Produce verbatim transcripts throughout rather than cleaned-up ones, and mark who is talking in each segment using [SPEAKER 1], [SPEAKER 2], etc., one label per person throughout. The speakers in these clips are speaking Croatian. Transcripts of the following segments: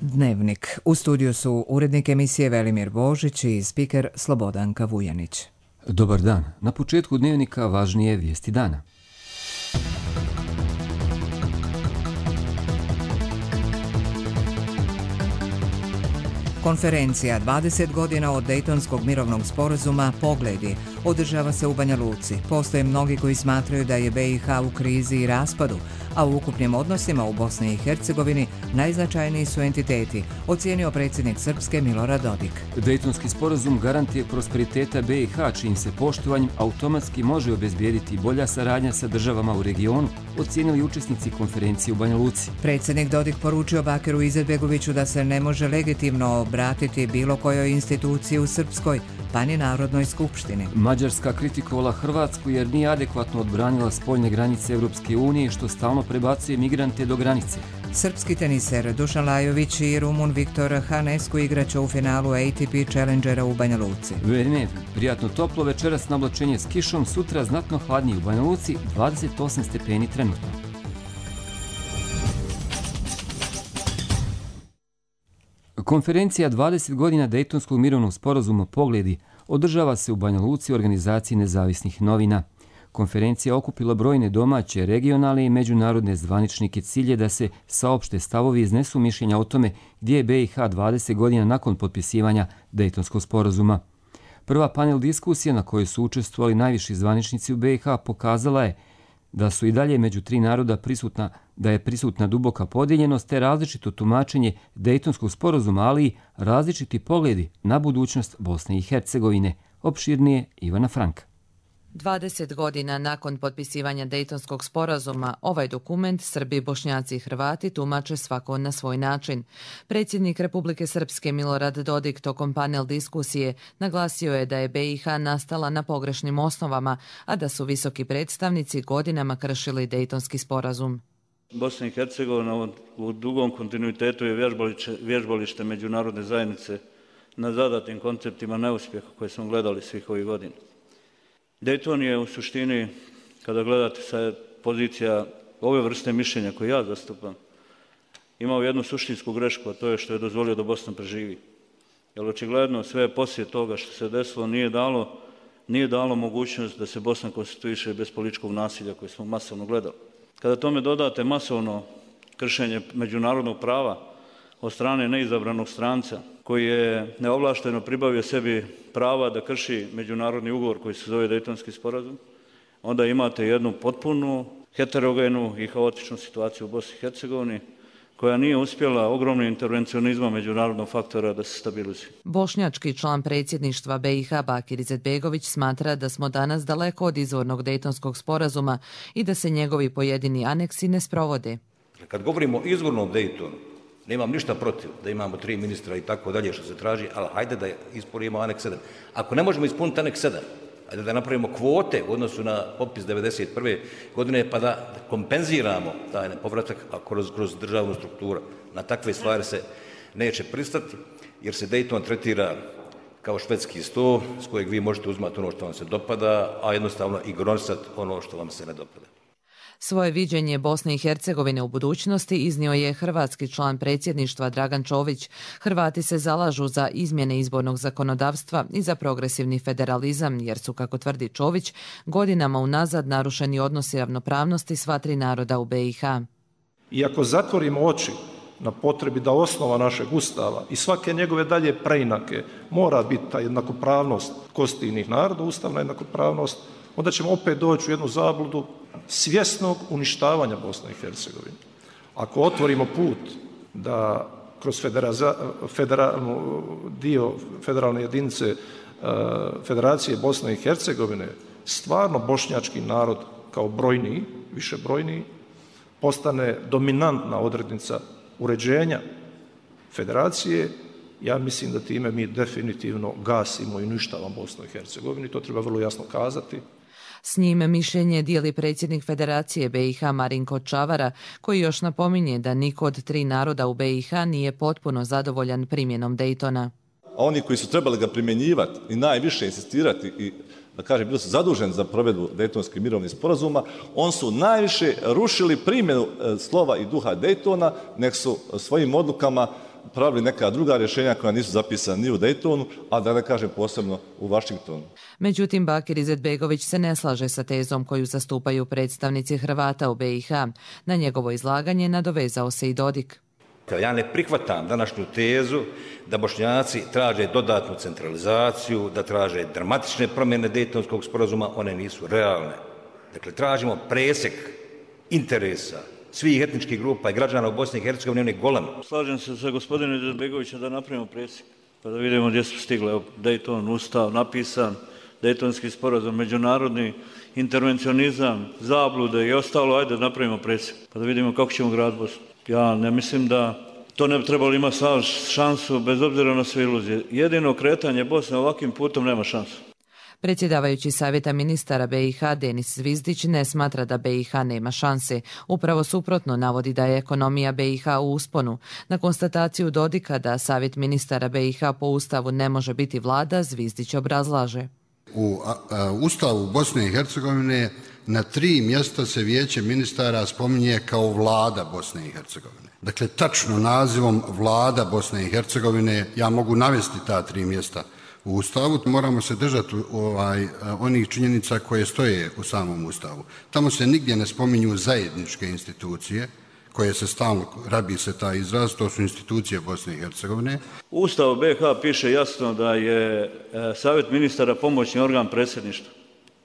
[SPEAKER 1] Dnevnik. U studiju su urednik emisije Velimir Božić i spiker Slobodanka Vujanić.
[SPEAKER 2] Dobar dan. Na početku Dnevnika važnije vijesti dana.
[SPEAKER 1] Konferencija dvadeset godina od Dejtonskog mirovnog sporazuma Pogledi održava se u Banja Luci. Postoje mnogi koji smatraju da je B i H u krizi i raspadu, a u ukupnim odnosima u Bosni i Hercegovini najznačajniji su entiteti, ocijenio predsjednik Srpske Milorad Dodik.
[SPEAKER 2] Dejtonski sporazum garant je prosperiteta B i H, čijim se poštovanjem automatski može obezbijediti bolja saradnja sa državama u regionu, ocijenili učesnici konferencije u Banja Luci.
[SPEAKER 1] Predsjednik Dodik poručio Bakiru Izetbegoviću da se ne može legitimno obratiti bilo kojoj instituciji u Srpskoj, pa ni Narodnoj skupštini.
[SPEAKER 2] Mađarska kritikovala Hrvatsku jer nije adekvatno odbranila spoljne granice Europske unije, što stalno prebacuje migrante do granice.
[SPEAKER 1] Srpski teniser Dušan Lajović i Rumun Viktor Hanescu igraće u finalu A T P Challengera u Banja Luci.
[SPEAKER 2] Vreme, prijatno toplo, večeras na oblačenje s kišom, sutra znatno hladnije u Banja Luci, dvadeset osam stepeni trenutno. Konferencija dvadeset godina Dejtonskog mirovnog sporazuma Pogledi održava se u Banja Luci u organizaciji nezavisnih novina. Konferencija okupila brojne domaće, regionalne i međunarodne zvaničnike. Cilj je da se saopšte stavovi i iznesu mišljenja o tome gdje je B i H dvadeset godina nakon potpisivanja Dejtonskog sporazuma. Prva panel diskusija na kojoj su učestvovali najviši zvaničnici u B i H pokazala je da su i dalje među tri naroda prisutna, da je prisutna duboka podijeljenost te različito tumačenje Dejtonskog sporazuma, ali i različiti pogledi na budućnost Bosne i Hercegovine. Opširnije Ivana Franka.
[SPEAKER 3] dvadeset godina nakon potpisivanja Dejtonskog sporazuma, ovaj dokument Srbi, Bošnjaci i Hrvati tumače svako na svoj način. Predsjednik Republike Srpske Milorad Dodik tokom panel diskusije naglasio je da je B i H nastala na pogrešnim osnovama, a da su visoki predstavnici godinama kršili Dejtonski sporazum.
[SPEAKER 4] Bosna i Hercegovina u dugom kontinuitetu je vježbalište, vježbalište međunarodne zajednice na zadatim konceptima neuspjeha koje smo gledali svih ovih godina. Dejton je u suštini, kada gledate sa pozicija ove vrste mišljenja koje ja zastupam, imao jednu suštinsku grešku, a to je što je dozvolio da Bosna preživi. Jer očigledno sve poslije toga što se desilo nije dalo, nije dalo mogućnost da se Bosna konstituiše bez političkog nasilja koje smo masovno gledali. Kada tome dodate masovno kršenje međunarodnog prava od strane neizabranog stranca, koji je neovlašteno pribavio sebi prava da krši međunarodni ugovor koji se zove Dejtonski sporazum, onda imate jednu potpunu heterogenu i haotičnu situaciju u Bosni i Hercegovini, koja nije uspjela ogromnim intervencionizmom međunarodnog faktora da se stabilizuje.
[SPEAKER 3] Bošnjački član predsjedništva B i H Bakir Izetbegović smatra da smo danas daleko od izvornog Dejtonskog sporazuma i da se njegovi pojedini aneksi ne sprovode.
[SPEAKER 5] Kad govorimo o izvornom Dejtonu, nemam ništa protiv da imamo tri ministra i tako dalje što se traži, ali hajde da ispunimo aneks sedam. Ako ne možemo ispuniti aneks sedam, hajde da napravimo kvote u odnosu na popis devedeset prve godine pa da kompenziramo taj povratak kroz, kroz državnu strukturu. Na takve stvari se neće pristati jer se Dejton tretira kao švedski sto s kojeg vi možete uzmati ono što vam se dopada, a jednostavno ignorisati ono što vam se ne dopada.
[SPEAKER 3] Svoje viđenje Bosne i Hercegovine u budućnosti iznio je hrvatski član predsjedništva Dragan Čović. Hrvati se zalažu za izmjene izbornog zakonodavstva i za progresivni federalizam, jer su, kako tvrdi Čović, godinama unazad narušeni odnosi ravnopravnosti sva tri naroda u B i H.
[SPEAKER 6] I ako zatvorimo oči na potrebi da osnova našeg ustava i svake njegove dalje preinake mora biti ta jednakopravnost konstitutivnih naroda, ustavna jednakopravnost, onda ćemo opet doći u jednu zabludu svjesnog uništavanja Bosne i Hercegovine. Ako otvorimo put da kroz federalnu dio federalne jedinice Federacije Bosne i Hercegovine stvarno bošnjački narod kao brojniji, više brojniji, postane dominantna odrednica uređenja federacije, ja mislim da time mi definitivno gasimo i uništavamo Bosnu i Hercegovinu i to treba vrlo jasno kazati.
[SPEAKER 3] S njime mišljenje dijeli predsjednik Federacije B i H Marinko Čavara, koji još napominje da niko od tri naroda u B i H nije potpuno zadovoljan primjenom Dejtona.
[SPEAKER 7] A oni koji su trebali ga primjenjivati i najviše insistirati i da kažem, bili su zaduženi za provedbu Dejtonskih mirovnih sporazuma, on su najviše rušili primjenu slova i duha Dejtona, nek su svojim odlukama pravili neka druga rješenja koja nisu zapisana ni u Daytonu, a da ne kažem posebno u Vašingtonu.
[SPEAKER 3] Međutim, Bakir Izetbegović se ne slaže sa tezom koju zastupaju predstavnici Hrvata u be i ha. Na njegovo izlaganje nadovezao se i Dodik.
[SPEAKER 5] Ja ne prihvatam današnju tezu da Bošnjaci traže dodatnu centralizaciju, da traže dramatične promjene Dejtonskog sporazuma, one nisu realne. Dakle, tražimo presjek interesa svih etničkih grupa i građana u Bosni i Hercegovini, on je golem.
[SPEAKER 4] Slažem se sa gospodinom Izetbegovićem da napravimo presjek, pa da vidimo gdje su stigli. Dayton, Ustav, napisan, Dejtonski sporazum, međunarodni intervencionizam, zablude i ostalo, ajde da napravimo presjek, pa da vidimo kako ćemo graditi Bosnu. Ja ne mislim da to ne bi trebalo imati šansu bez obzira na sve iluzije. Jedino kretanje Bosne ovakvim putom nema šansu.
[SPEAKER 3] Predsjedavajući Savjeta ministara be i ha Denis Zvizdić ne smatra da be i ha nema šanse. Upravo suprotno navodi da je ekonomija be i ha u usponu. Na konstataciju Dodika da Savjet ministara be i ha po Ustavu ne može biti vlada, Zvizdić obrazlaže.
[SPEAKER 8] U Ustavu Bosne i Hercegovine na tri mjesta se Vijeće ministara spominje kao vlada Bosne i Hercegovine. Dakle, tačno nazivom vlada Bosne i Hercegovine ja mogu navesti ta tri mjesta u Ustavu. Moramo se držati ovaj, onih činjenica koje stoje u samom Ustavu. Tamo se nigdje ne spominju zajedničke institucije koje se stalno, rabi se taj izraz, to su institucije Bosne i Hercegovine.
[SPEAKER 4] U Ustavu be i ha piše jasno da je Savjet ministara pomoćni organ predsjedništva.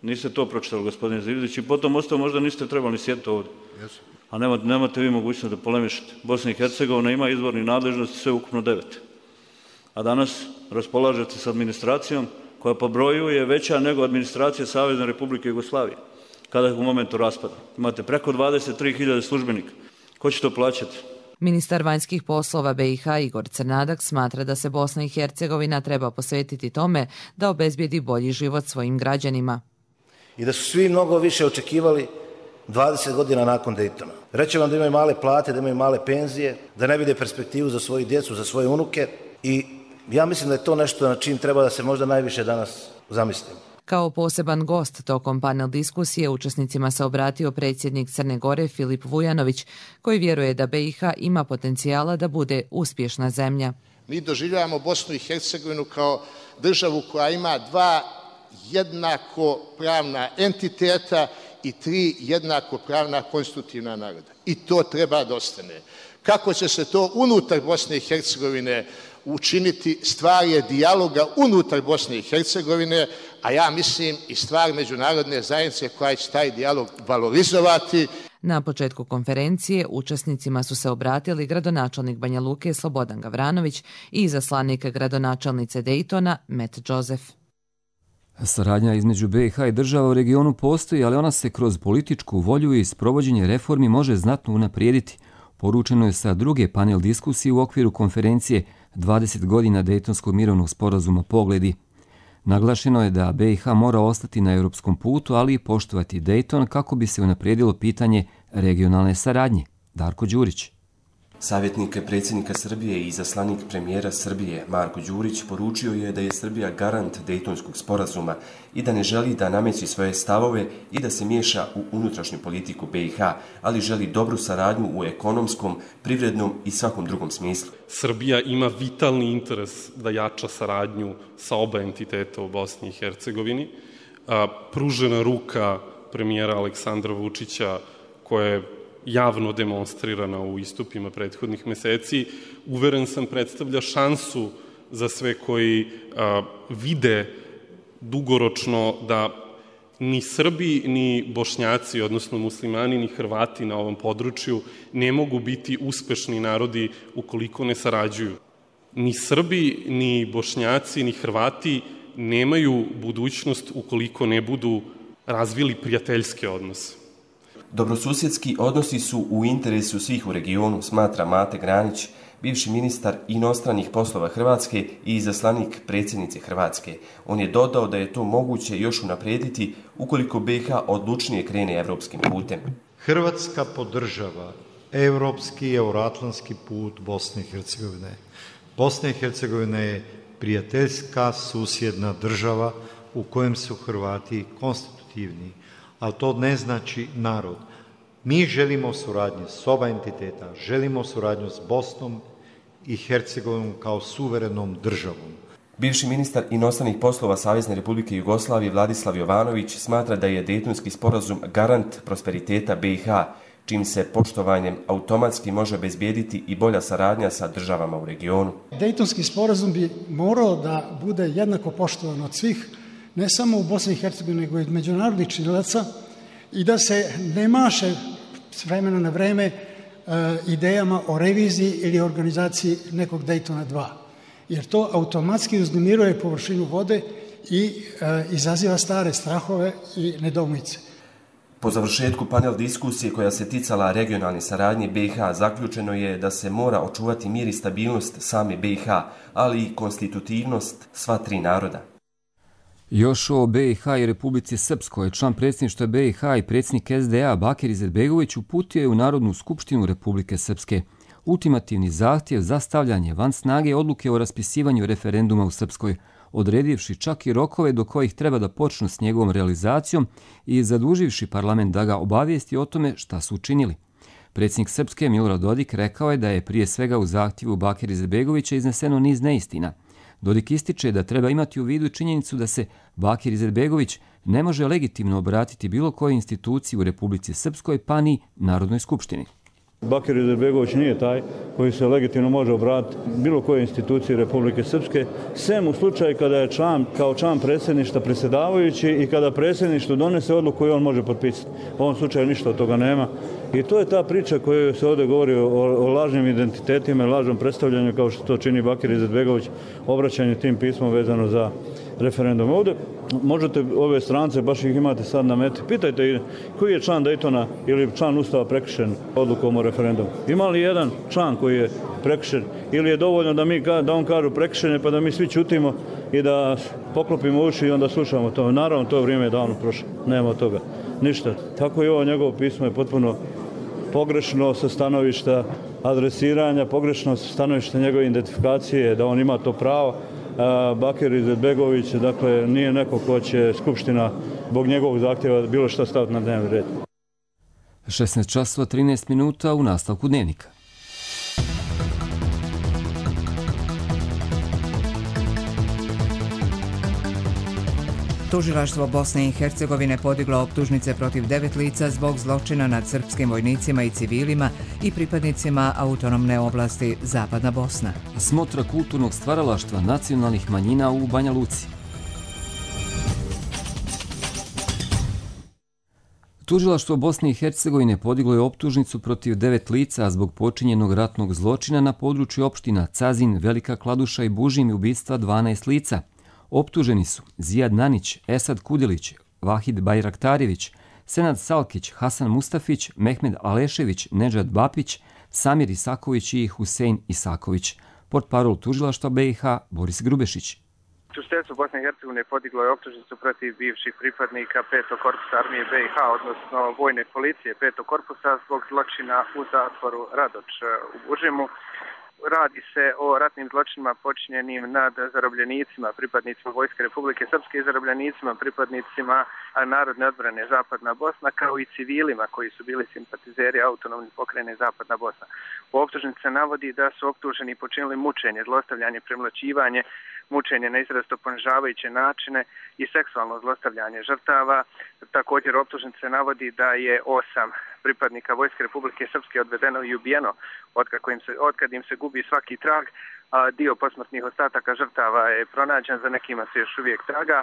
[SPEAKER 4] Niste to pročitali, gospodine Zvizdić, i potom ostao možda niste trebali sjediti ovdje. Yes. A nemate, nemate vi mogućnost da polemišete. Bosna i Hercegovina ima izvorni nadležnosti, sve ukupno devet. A danas raspolažete s administracijom koja po broju je veća nego administracija Savezne Republike Jugoslavije, kada je u momentu raspada. Imate preko dvadeset tri hiljade službenika. Ko će to plaćati?
[SPEAKER 3] Ministar vanjskih poslova be i ha Igor Crnadak smatra da se Bosna i Hercegovina treba posvetiti tome da obezbijedi bolji život svojim građanima.
[SPEAKER 9] I da su svi mnogo više očekivali dvadeset godina nakon Daytona. Reći vam da imaju male plate, da imaju male penzije, da ne vide perspektivu za svoju djecu, za svoje unuke, i ja mislim da je to nešto na čim treba da se možda najviše danas zamislimo.
[SPEAKER 3] Kao poseban gost tokom panel diskusije učesnicima se obratio predsjednik Crne Gore Filip Vujanović, koji vjeruje da be i ha ima potencijala da bude uspješna zemlja.
[SPEAKER 10] Mi doživljavamo Bosnu i Hercegovinu kao državu koja ima dva jednako pravna entiteta i tri jednako pravna konstitutivna naroda. I to treba da ostane. Kako će se to unutar Bosne i Hercegovine učiniti, stvar je dijaloga unutar Bosne i Hercegovine, a ja mislim i stvar međunarodne zajednice koja će taj dijalog valorizovati.
[SPEAKER 3] Na početku konferencije učesnicima su se obratili gradonačelnik Banja Luke Slobodan Gavranović i izaslanik gradonačelnice Daytona Matt Joseph.
[SPEAKER 2] Saradnja između be i ha i država u regionu postoji, ali ona se kroz političku volju i sprovođenje reformi može znatno unaprijediti. Poručeno je sa druge panel diskusije u okviru konferencije dvadeset godina Dejtonskog mirovnog sporazuma Pogledi. Naglašeno je da be i ha mora ostati na europskom putu, ali i poštovati Dayton kako bi se unaprijedilo pitanje regionalne saradnje. Darko Đurić.
[SPEAKER 11] Savjetnik predsjednika Srbije i izaslanik premijera Srbije Marko Đurić poručio je da je Srbija garant Dejtonskog sporazuma i da ne želi da nameći svoje stavove i da se miješa u unutrašnju politiku be i ha, ali želi dobru saradnju u ekonomskom, privrednom i svakom drugom smislu.
[SPEAKER 12] Srbija ima vitalni interes da jača saradnju sa oba entiteta u Bosni i Hercegovini. Pružena ruka premijera Aleksandra Vučića, koja je javno demonstrirana u istupima prethodnih meseci, uveren sam predstavlja šansu za sve koji a, vide dugoročno da ni Srbi, ni Bošnjaci, odnosno muslimani, ni Hrvati na ovom području ne mogu biti uspešni narodi ukoliko ne sarađuju. Ni Srbi, ni Bošnjaci, ni Hrvati nemaju budućnost ukoliko ne budu razvili prijateljske odnose.
[SPEAKER 11] Dobrosusjedski odnosi su u interesu svih u regionu, smatra Mate Granić, bivši ministar inostranih poslova Hrvatske i izaslanik predsjednice Hrvatske. On je dodao da je to moguće još unaprijediti ukoliko be i ha odlučnije krene evropskim putem.
[SPEAKER 13] Hrvatska podržava evropski i euroatlantski put Bosne i Hercegovine. Bosna i Hercegovina je prijateljska susjedna država u kojem su Hrvati konstitutivni, ali to ne znači narod. Mi želimo suradnju s oba entiteta, želimo suradnju s Bosnom i Hercegovinu kao suverenom državom.
[SPEAKER 11] Bivši ministar inostranih poslova Savezne Republike Jugoslavije Vladislav Jovanović smatra da je Dejtonski sporazum garant prosperiteta B i H, čim se poštovanjem automatski može obezbijediti i bolja saradnja sa državama u regionu.
[SPEAKER 14] Dejtonski sporazum bi morao da bude jednako poštovan od svih, ne samo u Bosni i Hercegovini, nego i od međunarodnih činilaca, i da se ne maše s vremena na vreme e, idejama o reviziji ili organizaciji nekog Dejtona dva. Jer to automatski uznemiruje površinu vode i e, izaziva stare strahove i nedoumice.
[SPEAKER 11] Po završetku panel diskusije koja se ticala regionalne saradnje B i H zaključeno je da se mora očuvati mir i stabilnost same B i H, ali i konstitutivnost sva tri naroda.
[SPEAKER 2] Još o B i H i Republici Srpskoj, član predsjedništva B i H i predsjednik S D A Bakir Izetbegović uputio je u Narodnu skupštinu Republike Srpske ultimativni zahtjev za stavljanje van snage odluke o raspisivanju referenduma u Srpskoj, odredivši čak i rokove do kojih treba da počnu s njegovom realizacijom i zaduživši parlament da ga obavijesti o tome šta su učinili. Predsjednik Srpske Milorad Dodik rekao je da je prije svega u zahtjevu Bakira Izetbegovića izneseno niz neistina. Dodik ističe da treba imati u vidu činjenicu da se Bakir Izetbegović ne može legitimno obratiti bilo kojoj instituciji u Republici Srpskoj pa ni Narodnoj skupštini.
[SPEAKER 4] Bakir Izetbegović nije taj koji se legitimno može obratiti bilo koje institucije Republike Srpske, sem u slučaju kada je član, kao član predsjedništva predsjedavajući i kada predsjedništvo donese odluku i on može potpisati. U ovom slučaju ništa od toga nema. I to je ta priča koju se ovdje govori o, o lažnim identitetima i lažnom predstavljanju, kao što to čini Bakir Izetbegović, obraćanje tim pismom vezano za referendum. Ovdje možete ove strance, baš ih imate sad na meti, pitajte koji je član Dejtona ili član Ustava prekršen odlukom o referendumu. Ima li jedan član koji je prekršen ili je dovoljno da, mi, da on kažu prekršene pa da mi svi ćutimo i da poklopimo uši i onda slušamo to. Naravno, to vrijeme je davno prošlo. Nema od toga. Ništa. Tako i ovo njegovo pismo je potpuno pogrešno sa stanovišta adresiranja, pogrešno sa stanovišta njegove identifikacije, da on ima to pravo. Bakir Izetbegović, dakle, nije neko ko će Skupština zbog njegovog zahtjeva bilo šta staviti na dnevni red.
[SPEAKER 2] šesnaest časova trinaest minuta u nastavku dnevnika.
[SPEAKER 1] Tužilaštvo Bosne i Hercegovine podiglo optužnice protiv devet lica zbog zločina nad srpskim vojnicima i civilima i pripadnicima autonomne oblasti Zapadna Bosna.
[SPEAKER 2] Smotra kulturnog stvaralaštva nacionalnih manjina u Banja Luci. Tužilaštvo Bosne i Hercegovine podiglo je optužnicu protiv devet lica zbog počinjenog ratnog zločina na području opština Cazin, Velika Kladuša i Bužim i ubistva dvanaest lica. Optuženi su Zijad Nanić, Esad Kudilić, Vahid Bajraktarević, Senad Salkić, Hasan Mustafić, Mehmed Alešević, Nedžad Bapić, Samir Isaković i Husein Isaković. Portparol tužilaštva B i H Boris Grubešić.
[SPEAKER 15] Tužiteljstvo Bosne i Hercegovine podiglo je optužnicu protiv bivših pripadnika petog korpusa armije B i H, odnosno vojne policije petog korpusa zbog zločina u zatvoru Radoč u Bužimu. Radi se o ratnim zločinima počinjenim nad zarobljenicima, pripadnicima Vojske Republike Srpske i zarobljenicima, pripadnicima Narodne odbrane Zapadna Bosna, kao i civilima koji su bili simpatizeri autonomne pokrajine Zapadna Bosna. U optužnici se navodi da su optuženi počinili mučenje, zlostavljanje, premlaćivanje, mučenje na izrazito ponižavajuće načine i seksualno zlostavljanje žrtava. Također u optužnici se navodi da je osam pripadnika Vojske Republike Srpske odvedeno i ubijeno otkad im se, otkad im se gubi svaki trag. A dio posmrtnih ostataka žrtava je pronađen, za nekima se još uvijek traga.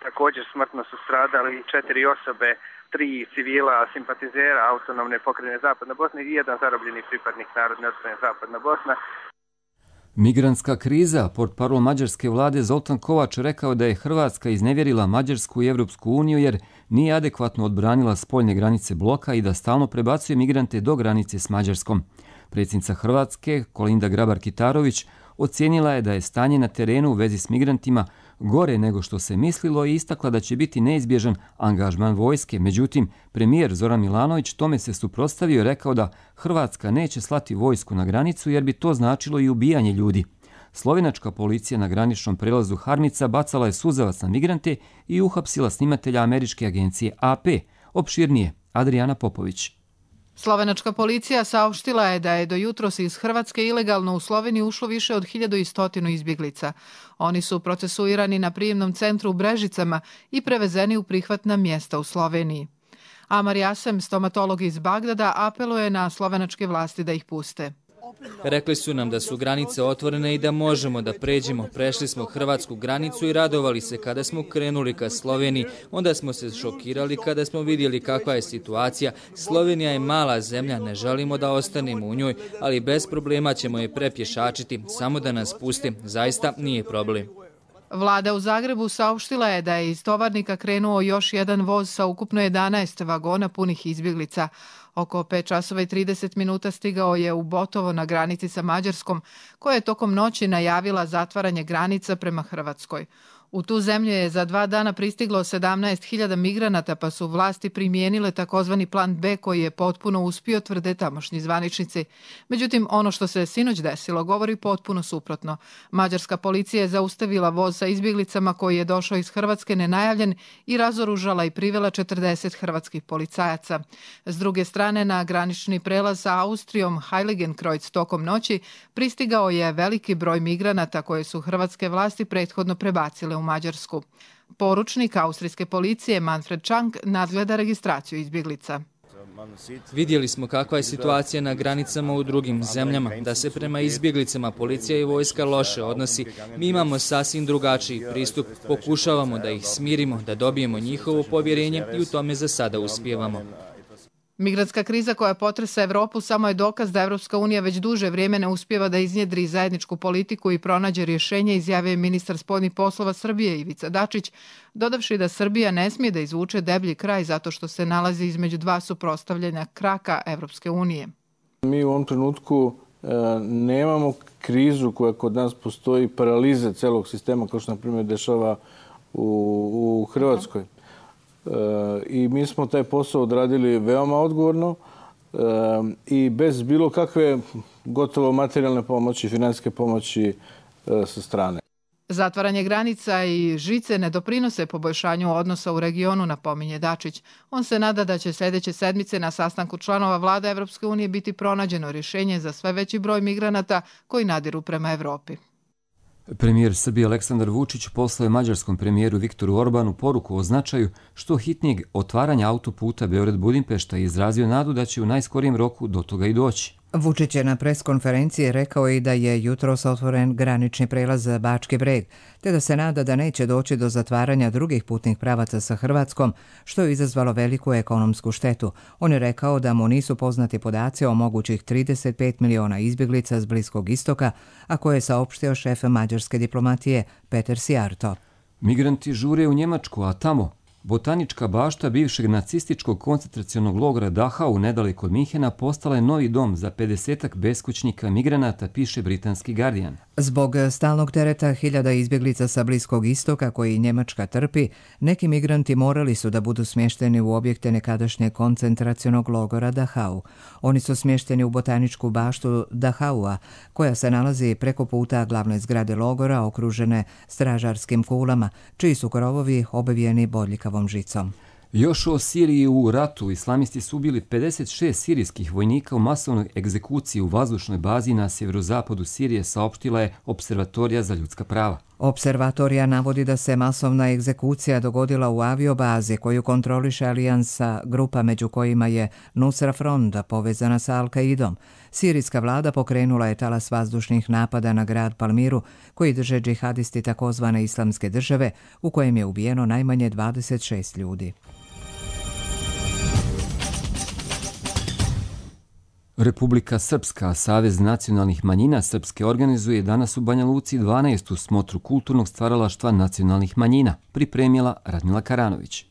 [SPEAKER 15] Također smrtno su stradali četiri osobe, tri civila simpatizera autonomne pokrajine Zapadna Bosna i jedan zarobljeni pripadnik Narodne odbrane Zapadna Bosna.
[SPEAKER 2] Migrantska kriza. Portparol mađarske vlade Zoltan Kovač rekao da je Hrvatska iznevjerila Mađarsku i Evropsku uniju jer nije adekvatno odbranila spoljne granice bloka i da stalno prebacuje migrante do granice s Mađarskom. Predsjednica Hrvatske Kolinda Grabar-Kitarović ocijenila je da je stanje na terenu u vezi s migrantima gore nego što se mislilo i istakla da će biti neizbježan angažman vojske. Međutim, premijer Zoran Milanović tome se suprotstavio i rekao da Hrvatska neće slati vojsku na granicu jer bi to značilo i ubijanje ljudi. Slovenačka policija na graničnom prelazu Harmica bacala je suzavac na migrante i uhapsila snimatelja američke agencije A P. Opširnije, Adriana Popović.
[SPEAKER 16] Slovenačka policija saopštila je da je do jutros iz Hrvatske ilegalno u Sloveniju ušlo više od hiljadu i stotinu izbjeglica. Oni su procesuirani na prijemnom centru u Brežicama i prevezeni u prihvatna mjesta u Sloveniji. Amar Jasem, stomatolog iz Bagdada, apeluje na slovenačke vlasti da ih puste.
[SPEAKER 17] Rekli su nam da su granice otvorene i da možemo da pređemo. Prešli smo hrvatsku granicu i radovali se kada smo krenuli ka Sloveniji. Onda smo se šokirali kada smo vidjeli kakva je situacija. Slovenija je mala zemlja, ne želimo da ostanemo u njoj, ali bez problema ćemo je prepješačiti, samo da nas pusti. Zaista nije problem.
[SPEAKER 16] Vlada u Zagrebu saopštila je da je iz tovarnika krenuo još jedan voz sa ukupno jedanaest vagona punih izbjeglica. Oko pet časova i trideset minuta stigao je u Botovo na granici sa Mađarskom, koja je tokom noći najavila zatvaranje granica prema Hrvatskoj. U tu zemlju je za dva dana pristiglo sedamnaest hiljada migranata, pa su vlasti primijenile takozvani plan B koji je potpuno uspio, tvrde tamošnji zvaničnici. Međutim, ono što se sinoć desilo govori potpuno suprotno. Mađarska policija je zaustavila voz sa izbjeglicama koji je došao iz Hrvatske nenajavljen i razoružala i privela četrdeset hrvatskih policajaca. S druge strane, na granični prelaz sa Austrijom Heiligenkreuz tokom noći pristigao je veliki broj migranata koje su hrvatske vlasti prethodno prebacile u Mađarsku. Poručnik austrijske policije Manfred Čank nadgleda registraciju izbjeglica.
[SPEAKER 17] Vidjeli smo kakva je situacija na granicama u drugim zemljama, da se prema izbjeglicama policija i vojska loše odnosi. Mi imamo sasvim drugačiji pristup, pokušavamo da ih smirimo, da dobijemo njihovo povjerenje i u tome za sada uspijevamo.
[SPEAKER 16] Migrantska kriza koja potresa Evropu samo je dokaz da Evropska unija već duže vrijeme ne uspijeva da iznjedri zajedničku politiku i pronađe rješenje, izjavio je ministar spoljnih poslova Srbije Ivica Dačić, dodavši da Srbija ne smije da izvuče deblji kraj zato što se nalazi između dva suprotstavljena kraka Evropske unije.
[SPEAKER 18] Mi u ovom trenutku e, nemamo krizu koja kod nas postoji, paralize celog sistema kao što na primjer dešava u, u Hrvatskoj. I mi smo taj posao odradili veoma odgovorno i bez bilo kakve gotovo materijalne pomoći, financijske pomoći sa strane.
[SPEAKER 16] Zatvaranje granica i žice ne doprinose poboljšanju odnosa u regionu, napominje Dačić. On se nada da će sljedeće sedmice na sastanku članova vlade Evropske unije biti pronađeno rješenje za sve veći broj migranata koji nadiru prema Evropi.
[SPEAKER 2] Premijer Srbije Aleksandar Vučić poslao je mađarskom premijeru Viktoru Orbanu poruku o značaju što hitnijeg otvaranja autoputa Beograd-Budimpešta i izrazio nadu da će u najskorijem roku do toga i doći.
[SPEAKER 1] Vučić je na preskonferenciji rekao i da je jutros otvoren granični prelaz za Bački Breg, te da se nada da neće doći do zatvaranja drugih putnih pravaca sa Hrvatskom, što je izazvalo veliku ekonomsku štetu. On je rekao da mu nisu poznati podaci o mogućih trideset pet miliona izbjeglica s Bliskog istoka, a koje je saopštio šef mađarske diplomatije Peter Sijarto.
[SPEAKER 2] Migranti žure u Njemačku, a tamo botanička bašta bivšeg nacističkog koncentracionog logora Dachau nedaleko od Minhena postala je novi dom za pedesetak beskućnika migranata, piše britanski Guardian.
[SPEAKER 1] Zbog stalnog tereta hiljada izbjeglica sa Bliskog istoka koji Njemačka trpi, neki migranti morali su da budu smješteni u objekte nekadašnje koncentracionog logora Dachau. Oni su smješteni u botaničku baštu Dachaua, koja se nalazi preko puta glavne zgrade logora okružene stražarskim kulama, čiji su krovovi obavijeni bodljikavom žicom.
[SPEAKER 2] Još o Siriji u ratu islamisti su ubili pedeset šest sirijskih vojnika u masovnoj egzekuciji u vazdušnoj bazi na sjeverozapadu Sirije, saopštila je Observatorija za ljudska prava.
[SPEAKER 1] Observatorija navodi da se masovna egzekucija dogodila u aviobazi koju kontroliše alijansa grupa među kojima je Nusra Front povezana sa Al-Kaidom. Sirijska vlada pokrenula je talas vazdušnih napada na grad Palmiru koji drže džihadisti takozvane islamske države u kojem je ubijeno najmanje dvadeset šest ljudi.
[SPEAKER 2] Republika Srpska, Savez nacionalnih manjina Srpske, organizuje danas u Banja Luci dvanaestu smotru kulturnog stvaralaštva nacionalnih manjina, pripremila Radmila Karanović.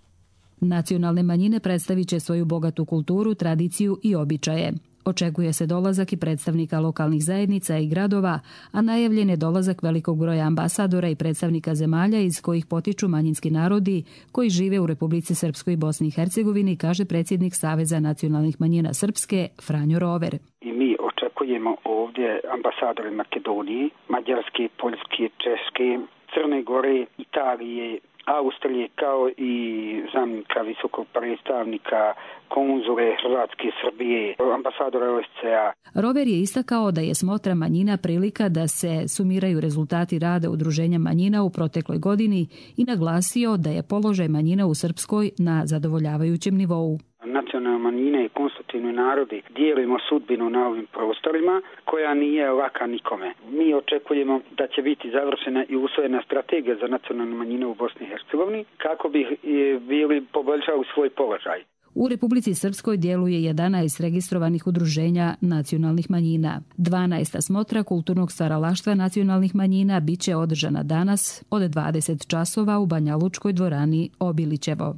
[SPEAKER 19] Nacionalne manjine predstavit će svoju bogatu kulturu, tradiciju i običaje. Očekuje se dolazak i predstavnika lokalnih zajednica i gradova, a najavljen je dolazak velikog broja ambasadora i predstavnika zemalja iz kojih potiču manjinski narodi koji žive u Republici Srpskoj i Bosni i Hercegovini, kaže predsjednik Saveza nacionalnih manjina Srpske, Franjo Rover.
[SPEAKER 20] I mi očekujemo ovdje ambasadore Makedonije, Mađarske, Poljske, Češke, Crne Gore, Italije Austrije, kao i zamjenika visokog predstavnika, konzule Hrvatske, Srbije, ambasadora O S C A.
[SPEAKER 19] Rover je istakao da je smotra manjina prilika da se sumiraju rezultati rada Udruženja manjina u protekloj godini i naglasio da je položaj manjina u Srpskoj na zadovoljavajućem nivou.
[SPEAKER 20] Nacionalne manjine i konstitutivni narodi dijelimo sudbinu na ovim prostorima koja nije laka nikome. Mi očekujemo da će biti završena i usvojena strategija za nacionalne manjine u Bosni i Hercegovini kako bi bili poboljšali svoj položaj.
[SPEAKER 19] U Republici Srpskoj djeluje jedanaest registrovanih udruženja nacionalnih manjina. dvanaesta smotra kulturnog stvaralaštva nacionalnih manjina bit će održana danas od dvadeset časova u Banja Lučkoj dvorani Obilićevo.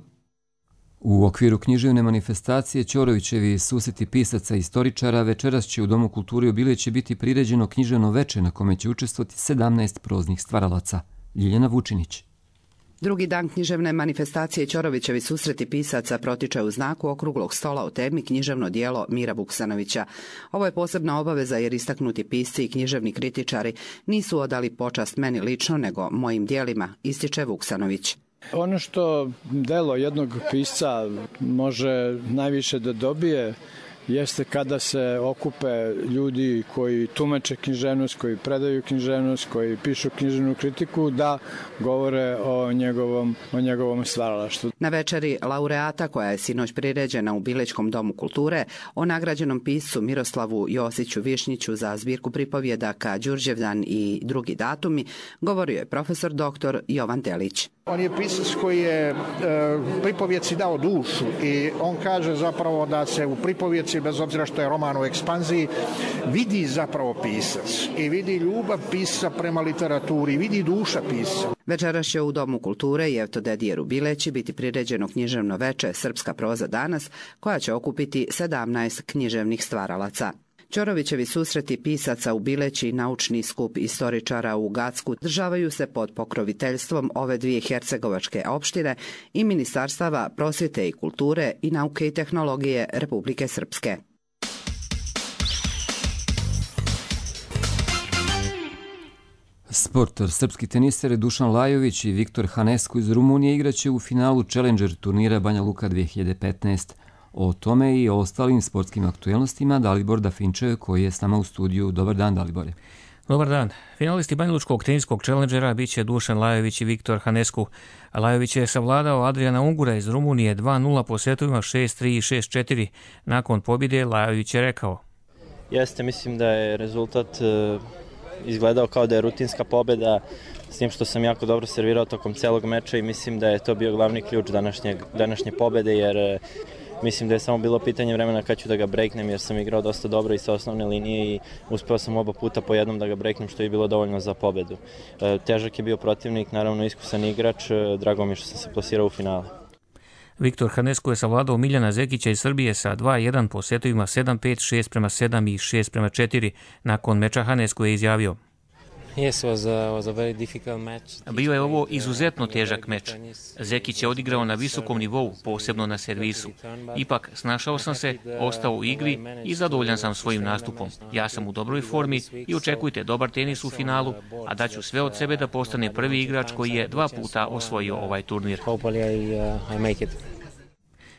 [SPEAKER 2] U okviru književne manifestacije Ćorovićevi susreti pisaca i istoričara večeras će u Domu kulture Obiliće biti priređeno književno veče na kome će učestvovati sedamnaest proznih stvaralaca. Ljiljana Vučinić.
[SPEAKER 21] Drugi dan književne manifestacije Ćorovićevi susreti pisaca protiče u znaku okruglog stola o temi književno djelo Mira Vuksanovića. Ovo je posebna obaveza jer istaknuti pisci i književni kritičari nisu odali počast meni lično nego mojim djelima, ističe Vuksanović.
[SPEAKER 22] Ono što delo jednog pisca može najviše da dobije jeste kada se okupe ljudi koji tumače književnost, koji predaju književnost, koji pišu književnu kritiku, da govore o njegovom, o njegovom stvaralaštvu.
[SPEAKER 21] Na večeri laureata koja je sinoć priređena u Bilićkom domu kulture o nagrađenom piscu Miroslavu Josiću Višnjiću za zbirku pripovjedaka Đurđevdan i drugi datumi, govorio je profesor doktor Jovan Delić.
[SPEAKER 23] On je pisac koji je e, pripovjeci dao dušu i on kaže zapravo da se u pripovjeci, bez obzira što je roman u ekspanziji, vidi zapravo pisac i vidi ljubav pisca prema literaturi, vidi duša pisca.
[SPEAKER 21] Večeras će u Domu kulture Jeftodedije Rubileći biti priređeno književno veče Srpska proza danas, koja će okupiti sedamnaest književnih stvaralaca. Ćorovićevi susreti pisaca u Bileći i naučni skup istoričara u Gacku državaju se pod pokroviteljstvom ove dvije hercegovačke opštine i Ministarstava prosvjete i kulture i nauke i tehnologije Republike Srpske.
[SPEAKER 2] Sport. Srpski teniseri Dušan Lajović i Viktor Hanesku iz Rumunije igraće u finalu Challenger turnira Banja Luka dve hiljade petnaeste. O tome i o ostalim sportskim aktuelnostima Dalibor Dafinčev koji je s nama u studiju. Dobar dan, Dalibore.
[SPEAKER 24] Dobar dan. Finalisti banjalučkog teniskog Challengera biće Dušan Lajović i Viktor Hanesku. Lajović je savladao Adriana Ungura iz Rumunije dva nula po setovima šest tri i šest četiri. Nakon pobjede Lajović je rekao:
[SPEAKER 25] Jeste, mislim da je rezultat uh, izgledao kao da je rutinska pobjeda, s tim što sam jako dobro servirao tokom celog meča i mislim da je to bio glavni ključ današnje, današnje pobjede, jer uh, mislim da je samo bilo pitanje vremena kad ću da ga breaknem, jer sam igrao dosta dobro i sa osnovne linije i uspeo sam oba puta po jednom da ga breaknem, što je bilo dovoljno za pobedu. E, težak je bio protivnik, naravno iskusan igrač, drago mi je što sam se plasirao u finale.
[SPEAKER 24] Viktor Hanesku je savladao Miljana Zekića iz Srbije sa dva jedan po setovima sedam pet, šest prema sedam i šest prema četiri. Nakon meča Hanesku je izjavio:
[SPEAKER 26] Yes, was a, was a very difficult match.
[SPEAKER 24] Bio je ovo izuzetno težak meč. Zekić je odigrao na visokom nivou, posebno na servisu. Ipak, snašao sam se, ostao u igri i zadovoljan sam svojim nastupom. Ja sam u dobroj formi i očekujte dobar tenis u finalu, a daću sve od sebe da postane prvi igrač koji je dva puta osvojio ovaj turnir.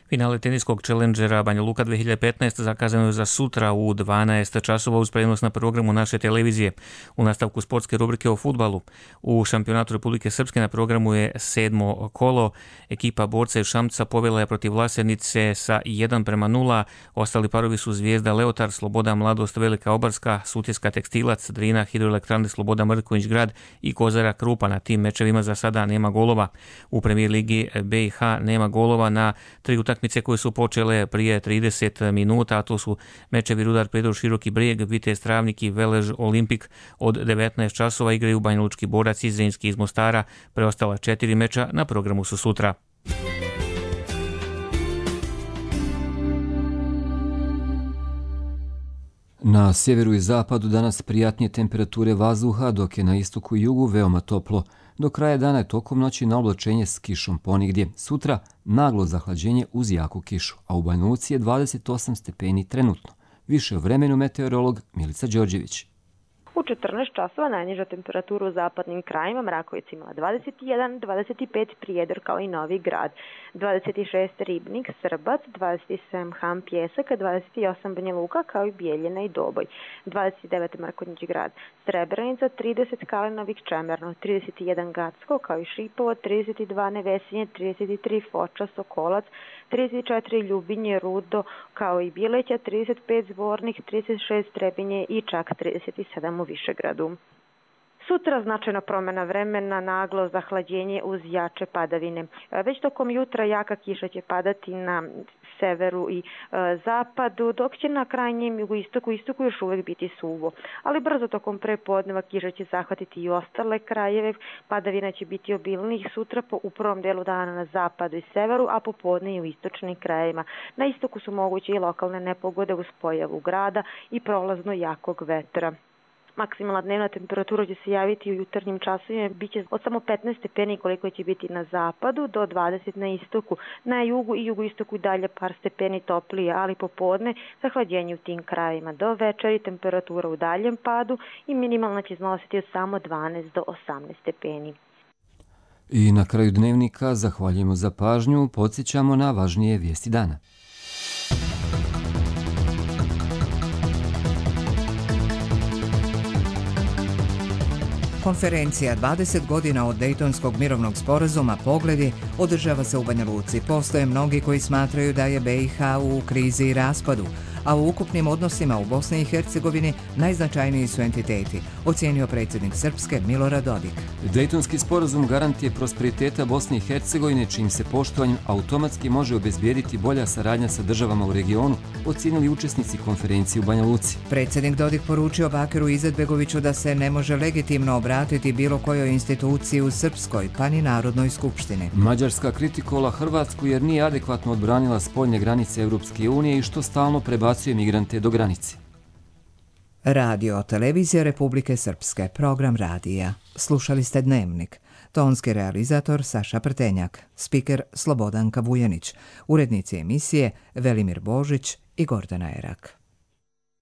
[SPEAKER 24] Finale teniskog Challengera Banja Luka dve hiljade petnaeste zakazano je za sutra u dvanaest časova uz prenos na programu naše televizije. U nastavku sportske rubrike o fudbalu. U šampionatu Republike Srpske na programu je sedmo kolo. Ekipa Borca iz Šamca povela je protiv Vlasernice sa jedan prema nula. Ostali parovi su Zvijezda Leotar, Sloboda Mladost Velika Obarska, Sutjeska Tekstilac, Drina Hidroelektrane Sloboda Mrković Grad i Kozara Krupa. Na tim mečevima za sada nema golova. U premijer ligi B i H nema golova na tri utakmice koje su počele prije trideset minuta, a to su mečevi Rudar Predor Široki Brijeg, Vitez Travnik i Velež Olimpik. Od devetnaest časova igraju Banjalučki Borac i Zrinski iz Mostara. Preostala četiri meča na programu su sutra.
[SPEAKER 2] Na sjeveru i zapadu danas prijatnije temperature vazduha, dok je na istoku i jugu veoma toplo. Do kraja dana je tokom noći na oblačenje s kišom ponigdje. Sutra naglo zahlađenje uz jaku kišu, a u Banja Luci je dvadeset osam stepeni trenutno. Više o vremenu meteorolog Milica Đorđević.
[SPEAKER 5] U četrnaest časova najniža temperatura u zapadnim krajima, Mrakovicima dvadeset jedan, dvadeset pet Prijedor kao i Novi Grad, dvadeset šest Ribnik, Srbac, dvadeset sedam Ham, Pjesak, dvadeset osam Banja Luka kao i Bijeljina i Doboj, dvadeset devet Mrkonjić Grad, Srebrenica, trideset Kalinović, Čemerno, trideset jedan Gacko kao i Šipovo, trideset dva Nevesinje, trideset tri Foča, Sokolac, trideset četiri Ljubinje, Rudo kao i Bileća, trideset pet Zvornik, trideset šest Trebinje i čak trideset sedam u Višegradu. Sutra značajna promjena vremena, naglo zahlađenje uz jače padavine. Već tokom jutra jaka kiša će padati na severu i e, zapadu, dok će na krajnjem jugoistoku i istoku još uvijek biti suvo. Ali brzo tokom prepodneva kiša će zahvatiti i ostale krajeve, padavina će biti obilnijih sutra po u prvom delu dana na zapadu i severu, a popodne i u istočnim krajevima. Na istoku su moguće i lokalne nepogode uz pojavu grada i prolazno jakog vetra. Maksimalna dnevna temperatura će se javiti u jutarnjim časovima, bit će od samo petnaest stepeni koliko će biti na zapadu do dvadeset na istoku. Na jugu i jugoistoku dalje par stepeni toplije, ali popodne zahlađenje u tim krajevima. Do večeri temperatura u daljem padu i minimalna će iznositi od samo dvanaest do osamnaest stepeni.
[SPEAKER 2] I na kraju dnevnika zahvaljujemo za pažnju, podsjećamo na važnije vijesti dana.
[SPEAKER 1] Konferencija dvadeset godina od Dejtonskog mirovnog sporazuma Pogledi održava se u Banja Luci. Postoje mnogi koji smatraju da je be i ha u krizi i raspadu, a u ukupnim odnosima u Bosni i Hercegovini najznačajniji su entiteti, ocijenio predsjednik Srpske Milorad Dodik.
[SPEAKER 2] Dejtonski sporazum garant je prosperiteta Bosne i Hercegovine, čijim se poštovanjem automatski može obezbijediti bolja saradnja sa državama u regionu, ocijenili učesnici konferencije u Banja Luci.
[SPEAKER 1] Predsjednik Dodik poručio Bakiru Izetbegoviću da se ne može legitimno obratiti bilo kojoj instituciji u Srpskoj, pa ni Narodnoj skupštini.
[SPEAKER 2] Mađarska kritikovala Hrvatsku jer nije adekvatno odbranila spoljne granice Europske unije i što stalno prebacuje migrante do granice.
[SPEAKER 1] Radio Televizija Republike Srpske, program radija. Slušali ste Dnevnik. Tonski realizator Saša Prtenjak, spiker Slobodanka Vujanić, urednici emisije Velimir Božić i Gordana Erak.